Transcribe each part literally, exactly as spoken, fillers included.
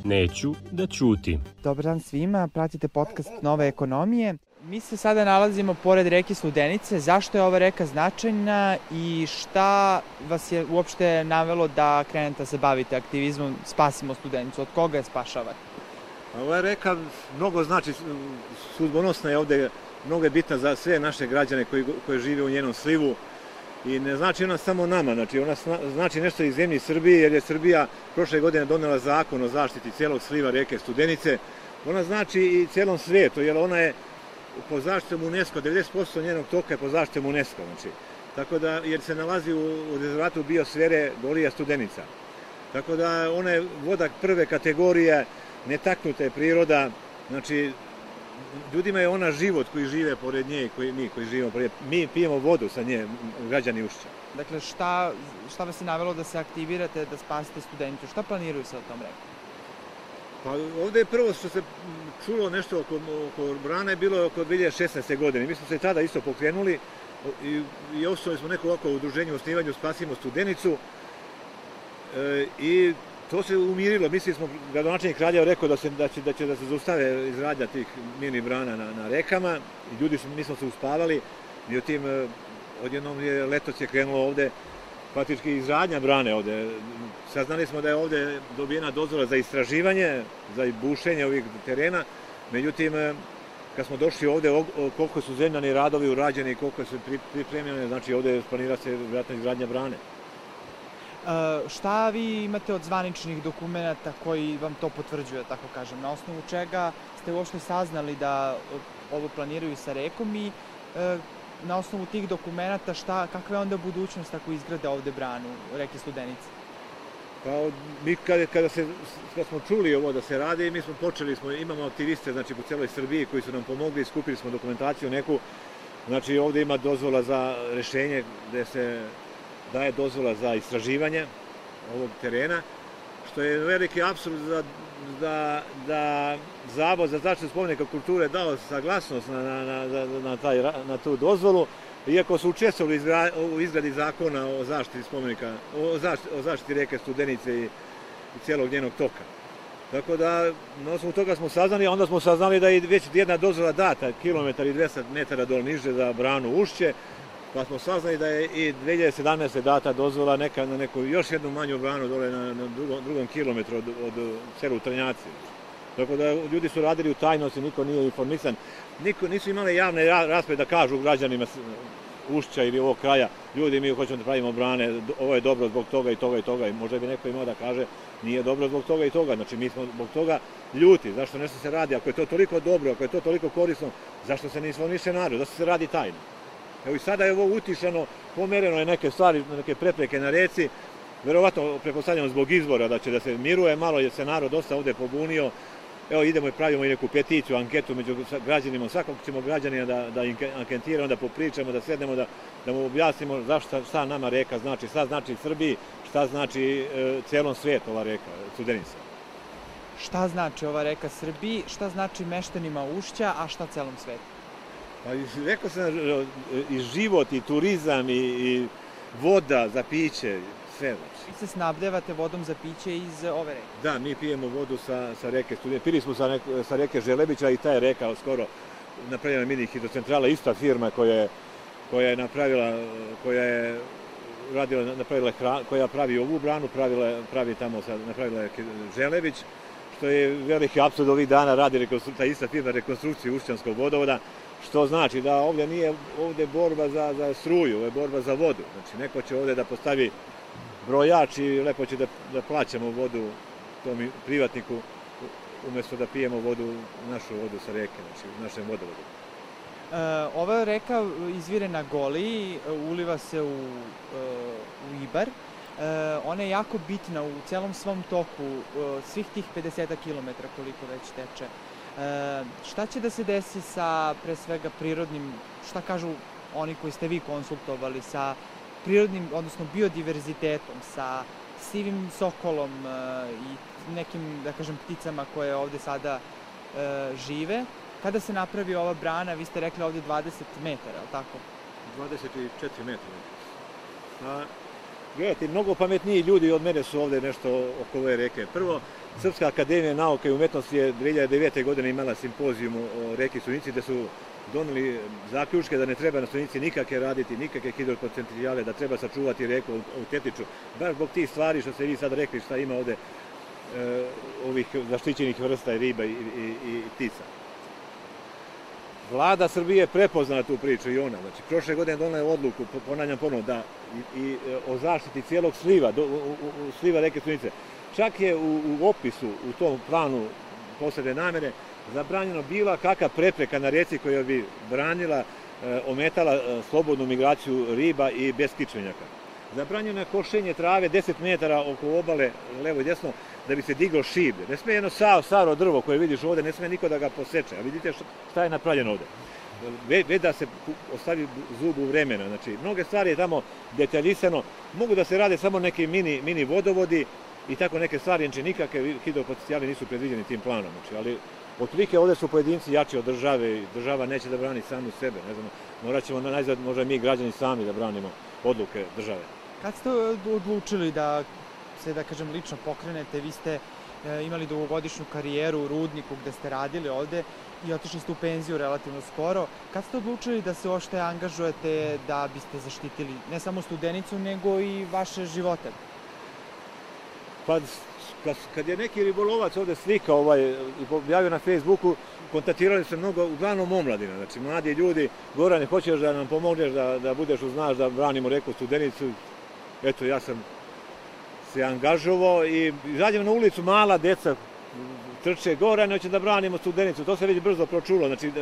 Neću da ćutim. Dobar dan svima, pratite podcast Nove ekonomije. Mi se sada nalazimo pored reke Studenice. Zašto je ova reka značajna i šta vas je uopšte navelo da krenete da se bavite aktivizmom Spasimo Studenicu? Od koga je spašavate? Ova reka mnogo znači, sudbonosna je ovde, mnogo je bitna za sve naše građane koji, koji žive u njenom slivu. I ne znači ona samo nama, znači ona znači nešto iz zemlji Srbije, jer je Srbija prošle godine donela zakon o zaštiti cijelog sliva reke Studenice. Ona znači i cijelom svijetu, jer ona je po zaštitom UNESCO, devedeset posto njenog toka je po zaštitom UNESCO, znači. Tako da, jer se nalazi u, u rezervatu biosfere Golija Studenica. Tako da ona je voda prve kategorije, netaknuta je priroda, znači ljudima je ona život koji žive pored nje i koji, mi koji živimo pored. Mi pijemo vodu sa nje, građani Ušća. Dakle, šta, šta vas je navelo da se aktivirate, da spasite Studenicu? Šta planiraju se o tom reku? Pa ovde je prvo što se čulo nešto oko, oko brana je bilo oko dve hiljade šesnaeste. godine. Mi smo se tada isto pokrenuli i, i osnovali smo neko ovako udruženje u osnivanju Spasimo Studenicu e, i to se umirilo. Mislili smo, gradonačelnik Kraljeva rekao da, se, da, će, da će da se zaustave izradnja tih mini brana na, na rekama i ljudi su, mi smo se uspavali. Međutim, odjednom je letos je krenulo ovde praktički izradnja brane ovde. Saznali smo da je ovde dobijena dozvola za istraživanje, za bušenje ovih terena. Međutim, kad smo došli ovde, koliko su zemljani radovi urađeni, koliko su pripremljene, znači ovde planira se vjerojatno izgradnja brane. Uh, šta vi imate od zvaničnih dokumenta koji vam to potvrđuje, tako kažem? Na osnovu čega ste uopšte saznali da ovo planiraju sa rekom i uh, na osnovu tih dokumenta šta, kakva je onda budućnost ako izgrade ovde branu reke Studenice? Pa mi kada, kada, se, kada smo čuli ovo da se radi, mi smo počeli, smo, imamo aktiviste znači, po celoj Srbiji koji su nam pomogli, skupili smo dokumentaciju neku. Znači ovde ima dozvola za rešenje gde se daje dozvola za istraživanje ovog terena, što je veliki apsurd da, da, da Zavod za zaštitu spomenika kulture dao saglasnost na, na, na, na, taj, na tu dozvolu, iako su učestvovali u izgradi zakona o zaštiti spomenika, o zaštiti, o zaštiti reke Studenice i, i cijelog njenog toka. Tako da, na osnovu toga smo saznali, a onda smo saznali da je već jedna dozvola data, kilometar i dvesta metara dol niže za branu Ušće, pa smo saznali da je i dve hiljade sedamnaeste. data dozvola neka, na neku još jednu manju branu dole na, na drugom, drugom kilometru od, od selu Trnjaci. Tako da ljudi su radili u tajnosti, niko nije informisan. Niko, nisu imali javne rasprave da kažu građanima Ušća ili ovog kraja, ljudi mi hoćemo da pravimo brane, ovo je dobro zbog toga i toga i toga. I možda bi neko imao da kaže nije dobro zbog toga i toga. Znači mi smo zbog toga ljuti. Zašto nešto se radi? Ako je to toliko dobro, ako je to toliko korisno, zašto se ne informiše narod? Zašto se radi tajno? Evo i sada je ovo utišano, pomereno je neke stvari, neke prepreke na reci, verovatno pretpostavljamo zbog izbora da će da se miruje malo, jer se narod dosta ovde pobunio. Evo idemo i pravimo i neku peticiju, anketu među građanima, svakog ćemo građanina da, da anketiramo, onda popričamo, da sednemo, da, da mu objasnimo zašto, šta nama reka znači, šta znači Srbiji, šta znači e, celom svijetu ova reka, Studenica. Šta znači ova reka Srbiji, šta znači meštanima Ušća, a šta celom svetu? Pa rekao sam i život, i turizam, i, i voda za piće, sve znači. Vi se snabdevate vodom za piće iz ove reke? Da, mi pijemo vodu sa, sa reke Studenice. Pili smo sa, nek, sa reke Želebića i ta je reka skoro napravila mini hidrocentrala, ista firma koja je, koja je napravila, koja je radila, napravila hran, koja pravi ovu branu, pravila, pravi tamo, napravila je Želebić, što je veliki apsurd ovih dana radi ta ista firma rekonstrukciju Ušćanskog vodovoda, što znači da ovdje nije ovdje borba za, za struju, ovo je borba za vodu. Znači neko će ovdje da postavi brojač i lepo će da, da plaćamo vodu tom privatniku umjesto da pijemo vodu, našu vodu sa reke, znači u našem vodovodu. E, ova reka izvire na Goliji, uliva se u, u Ibar. E, ona je jako bitna u celom svom toku, svih tih pedeset kilometara koliko već teče. E, šta će da se desi sa, pre svega, prirodnim, šta kažu oni koji ste vi konsultovali, sa prirodnim, odnosno biodiverzitetom, sa sivim sokolom e, i nekim, da kažem, pticama koje ovde sada e, žive? Kada se napravi ova brana, vi ste rekli ovde dvadeset metara, ali tako? dvadeset četiri metara. A, Gledajte, mnogo pametniji ljudi od mene su ovde nešto oko ove reke. Prvo, Srpska akademija nauke i umetnosti je dve hiljade devete. godine imala simpozijum o reki Studenici, gde su doneli zaključke da ne treba na Studenici nikakve raditi, nikakve hidropotencijale, da treba sačuvati reku autentičnu. Baš zbog tih stvari što ste vi sad rekli šta ima ovde e, ovih zaštićenih vrsta i riba i, i, i ptica. Vlada Srbije je prepoznala tu priču i ona. Znači, prošle godine donela je odluku, ponavljam ponovo, da i, i o zaštiti cijelog sliva, do, u, u, sliva reke Studenice. Čak je u, u opisu, u tom planu posebne namere, zabranjeno bila kakva prepreka na reci koja bi branila, e, ometala e, slobodnu migraciju riba i beskičmenjaka. Zabranjeno je košenje trave deset metara oko obale, levo i desno, da bi se diglo šiblje. Ne sme jedno staro drvo koje vidiš ovde, ne sme niko da ga poseče. A vidite šta je napravljeno ovde. Već da se ostavi zubu vremena. Znači, mnoge stvari je tamo detaljisano. Mogu da se rade samo neki mini, mini vodovodi i tako neke stvari, znači nikakve hidropotencijali nisu predviđeni tim planom. Znači, ali otprilike ovde su pojedinci jači od države i država neće da brani samu sebe. Ne znam, morat ćemo najzad možda mi građani sami da branimo odluke države. Kad ste odlučili da se, da kažem, lično pokrenete, vi ste e, imali dugogodišnju karijeru u rudniku gde ste radili ovde i otišli ste u penziju relativno skoro. Kad ste odlučili da se ošte angažujete da biste zaštitili ne samo Studenicu, nego i vaše živote? Pa, kad je neki ribolovac ovde slika ovaj, i objavio na Facebooku, kontaktirali se mnogo, uglavnom omladina, znači mladi ljudi, Gorane, hoćeš da nam pomogneš, da, da budeš uznaš, da branimo reku Studenicu. Eto, ja sam se angažovao i izađemo na ulicu, mala deca trče, Gorane, hoće da branimo Studenicu, to se već brzo pročulo, znači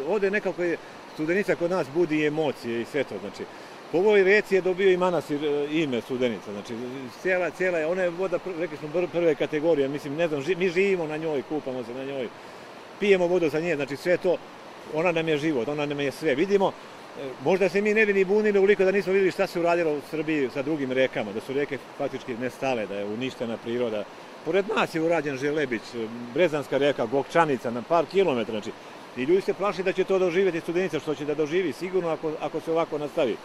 ovde nekako je Studenica kod nas budi emocije i sve to, znači po ovoj reci je dobio i manastir ime Studenica, znači cijela, cijela je, ona je voda, rekli smo, prve kategorije, mislim, ne znam, mi živimo na njoj, kupamo se na njoj, pijemo vodu sa nje, znači sve to, ona nam je život, ona nam je sve. Vidimo, možda se mi ne bi ni bunili uliko da nismo videli šta se uradilo u Srbiji sa drugim rekama, da su reke faktički nestale, da je uništena priroda. Pored nas je urađen Želebić, Brezanska reka, Gokčanica, na par kilometra, znači, i ljudi se plaši da će to doživjeti Studenica, što će da doživi sigurno ako, ako se ovako nastavi.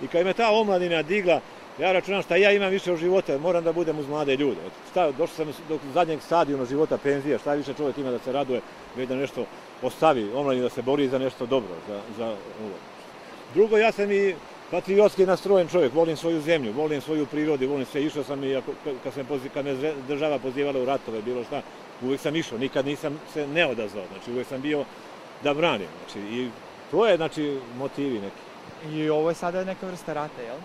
I kad me ta omladina digla, ja računam šta ja imam više od života, moram da budem uz mlade ljude. Došao sam do zadnjeg stadijuma života, penzija, šta više čovjek ima da se raduje, već da nešto ostavi, omladina da se bori za nešto dobro, za, za ovo. Drugo, ja sam i patriotski nastrojen čovjek, volim svoju zemlju, volim svoju prirodu, volim sve, išao sam i ako, kad, sam, kad me država pozivala u ratove, bilo šta, uvek sam išao, nikad nisam se ne odazvao, znači uvek sam bio da branim, znači i to je, znači, motivi neki. I ovo je sada neka vrsta rata, jel?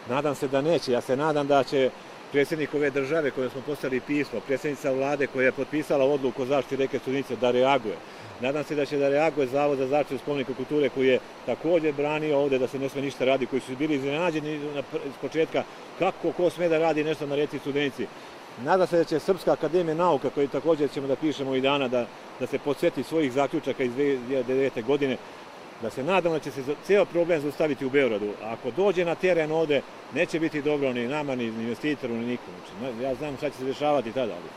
Nadam se da neće. Ja se nadam da će predsjednik ove države kojem smo poslali pismo, predsjednica vlade koja je potpisala odluku o zaštiti reke Studenice da reaguje. Nadam se da će da reaguje Zavod za zaštitu spomenika kulture koji je također branio ovde da se ne sme ništa radi, koji su bili iznenađeni s početka kako ko sme da radi nešto na reci Studenici. Nadam se da će Srpska akademija nauka, koju također ćemo da pišemo i dana, da, da se podsjeti svojih zaključaka iz dve hiljade devete. godine, da se nadam da će se ceo problem zaustaviti u Beogradu. A ako dođe na teren ovde, neće biti dobro ni nama, ni investitoru, ni nikom. Znači, ja znam šta će se dešavati tada, ali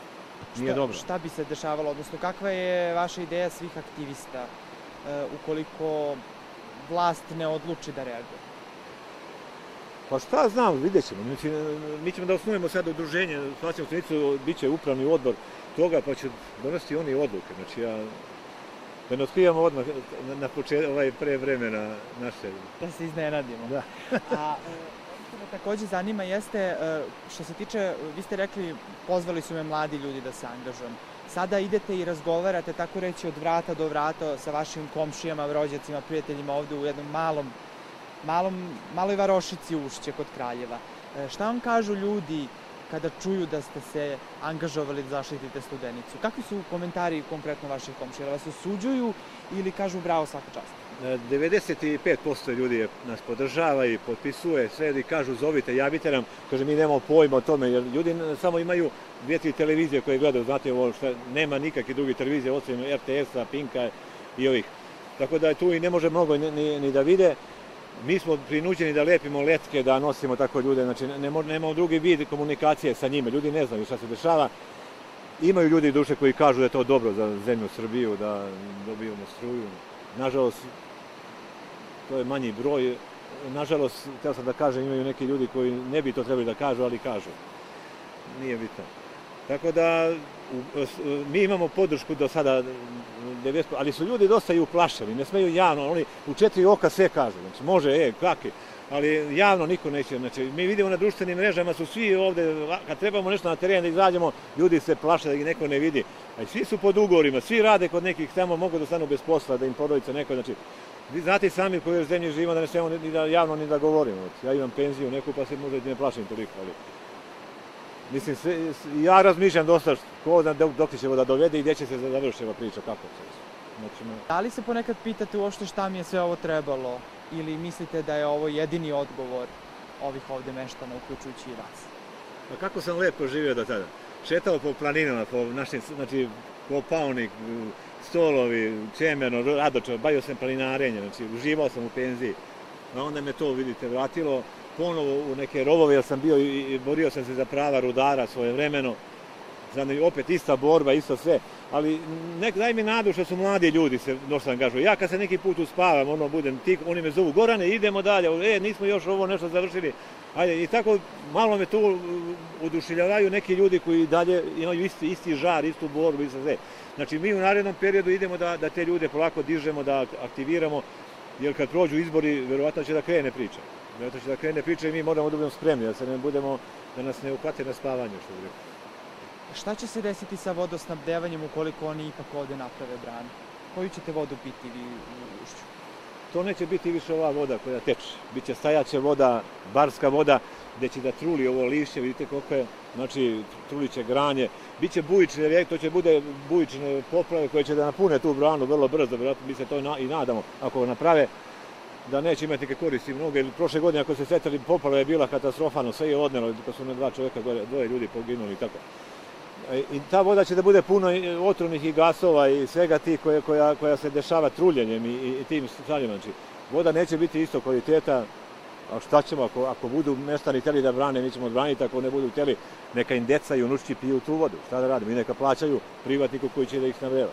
nije šta, dobro. Šta bi se dešavalo, odnosno kakva je vaša ideja svih aktivista e, ukoliko vlast ne odluči da reaguje? Pa šta znam, vidjet ćemo. Mi, mi ćemo da osnujemo sad udruženje, Spasimo Studenicu, bit će upravni odbor toga, pa će donositi oni odluke. Znači, ja da ne otkrivamo odmah na, na počet, ovaj pre vremena naše. Da se iznenadimo. Da. A ono što me takođe zanima jeste, što se tiče, vi ste rekli, pozvali su me mladi ljudi da se angažujem. Sada idete i razgovarate, tako reći, od vrata do vrata sa vašim komšijama, rođacima, prijateljima ovde u jednom malom, malom, maloj varošici Ušće kod Kraljeva. Šta vam kažu ljudi kada čuju da ste se angažovali da zaštitite Studenicu? Kakvi su komentari konkretno vaših komšija? Da vas osuđuju ili kažu bravo, svaka čast? devedeset pet posto ljudi nas podržava i potpisuje sve i kažu zovite, javite nam. Kaže, mi nemamo pojma o tome, jer ljudi samo imaju dvije, tri televizije koje gledaju, znate ovo što nema nikakve druge televizije osim er te esa, Pinka i ovih. Tako da tu i ne može mnogo ni, ni, ni da vide. Mi smo prinuđeni da lepimo letke, da nosimo tako ljude, znači ne, nemamo drugi vid komunikacije sa njima, ljudi ne znaju šta se dešava. Imaju ljudi duše koji kažu da je to dobro za zemlju Srbiju, da dobijemo struju. Nažalost, to je manji broj, nažalost, htio sam da kažem, imaju neki ljudi koji ne bi to trebali da kažu, ali kažu. Nije bitno. Tako da, mi imamo podršku do sada, ali su ljudi dosta i uplašeni, ne smeju javno, oni u četiri oka sve kažu, znači može, e, kakvi, ali javno niko neće, znači mi vidimo na društvenim mrežama su svi ovde, kad trebamo nešto na teren da izađemo, ljudi se plaše da ih neko ne vidi, a svi su pod ugovorima, svi rade kod nekih tamo, mogu da stanu bez posla, da im porodica neko, znači, vi znate i sami koji u zemlji živimo da ne smemo ni da javno ni da govorimo, ja imam penziju neku pa se možda i ne plašim toliko, ali mislim, sve, ja razmišljam dosta ko da dok će da dovede i gdje će se završiti ova priča, kako se. Znači, da li se ponekad pitate uopšte šta mi je sve ovo trebalo ili mislite da je ovo jedini odgovor ovih ovde meštana, uključujući i vas? Pa kako sam lepo živio do tada. Šetao po planinama, po našim, znači, po Paonik, Stolovi, Čemerno, Radočar, bavio sam planinarenje, znači, uživao sam u penziji. A onda me to, vidite, vratilo ponovo u neke rovove, jer sam bio i borio sam se za prava rudara svojevremeno. Znači, opet ista borba, isto sve. Ali nek, daj mi nadu što su mladi ljudi se dosta angažuju. Ja kad se neki put uspavam, ono budem tik, oni me zovu, Gorane, idemo dalje, e, nismo još ovo nešto završili. Ajde, i tako malo me tu oduševljavaju neki ljudi koji dalje imaju isti, isti žar, istu borbu, isto sve. Znači, mi u narednom periodu idemo da, da te ljude polako dižemo, da aktiviramo, jer kad prođu izbori, verovatno će da krene priča. Verovatno će da krene priča i mi moramo da budemo spremni, da se ne budemo, da nas ne uhvate na spavanju, što bi rekao. Šta će se desiti sa vodosnabdevanjem ukoliko oni ipak ovde naprave branu? Koju ćete vodu piti vi u ušću? To neće biti više ova voda koja teče. Biće stajaća voda, barska voda, gde će da truli ovo lišće, vidite koliko je, znači truliće granje. Biće bujične rijeke, to će bude bujične poplave koje će da napune tu branu vrlo brzo, vjerojatno mi se to i nadamo, ako naprave, da neće imati neke koristi mnoge. Prošle godine ako se setili, poplava je bila katastrofalno, sve je odnelo, kad su na dva čovjeka, dvoje ljudi poginuli i tako. I ta voda će da bude puno otrovnih i gasova i svega tih koja, koja, koja se dešava truljenjem i, i tim stvarima. Znači, voda neće biti isto kvaliteta, a šta ćemo ako, ako budu meštani hteli da brane, mi ćemo odbraniti, ako ne budu hteli, neka im deca i unučići piju tu vodu. Šta da radimo? I neka plaćaju privatniku koji će da ih navreva.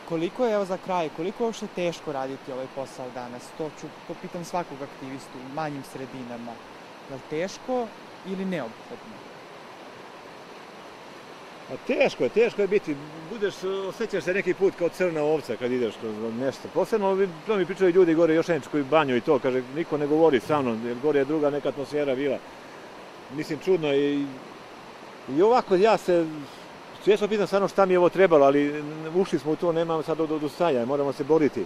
Koliko je, evo za kraj, koliko je uopšte teško raditi ovaj posao danas? To ću, to pitam svakog aktivistu u manjim sredinama. Je li teško ili neophodno? A teško je, teško je biti, budeš, osjećaš se neki put kao crna ovca kad ideš kroz nešto. Posebno, to mi pričaju ljudi gore, još neč koji banju i to, kaže, niko ne govori sa mnom, jer gore je druga neka atmosfera bila. Mislim, čudno i, i ovako ja se, često pitam stvarno šta mi je ovo trebalo, ali ušli smo u to, nemamo sad od odustajanja, moramo se boriti.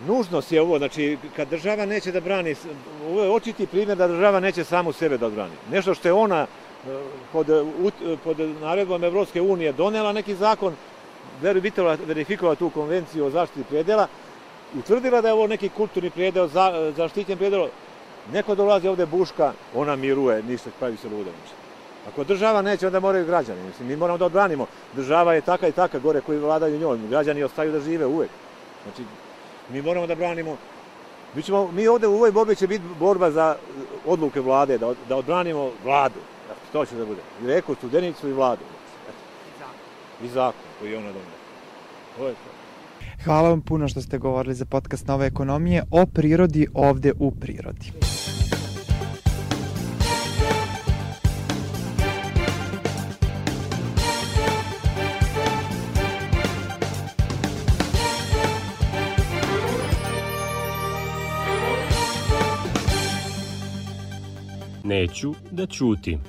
Nužnost je ovo, znači, kad država neće da brani, ovo je očiti primjer da država neće samu sebe da odbrani. Nešto što je ona pod, pod naredbom Evropske unije donela neki zakon, verifikovala tu konvenciju o zaštiti predela, utvrdila da je ovo neki kulturni predel, za, zaštićen predel, neko dolazi ovde buška, ona miruje, ništa, pravi se luda. Ako država neće, onda moraju građani. Mislim, mi moramo da odbranimo. Država je taka i taka, gore koji vladaju njoj. Građani ostaju da žive uvek. Znači, mi moramo da branimo. Mi, ćemo, mi ovde u ovoj borbi će biti borba za odluke vlade, da, da odbranimo vladu. To će da bude. I reku, Studenicu i vladu. I zakon koji je ona donela. To je to. Hvala vam puno što ste govorili za podcast Nove ekonomije o prirodi ovde u prirodi. Neću da ćutim.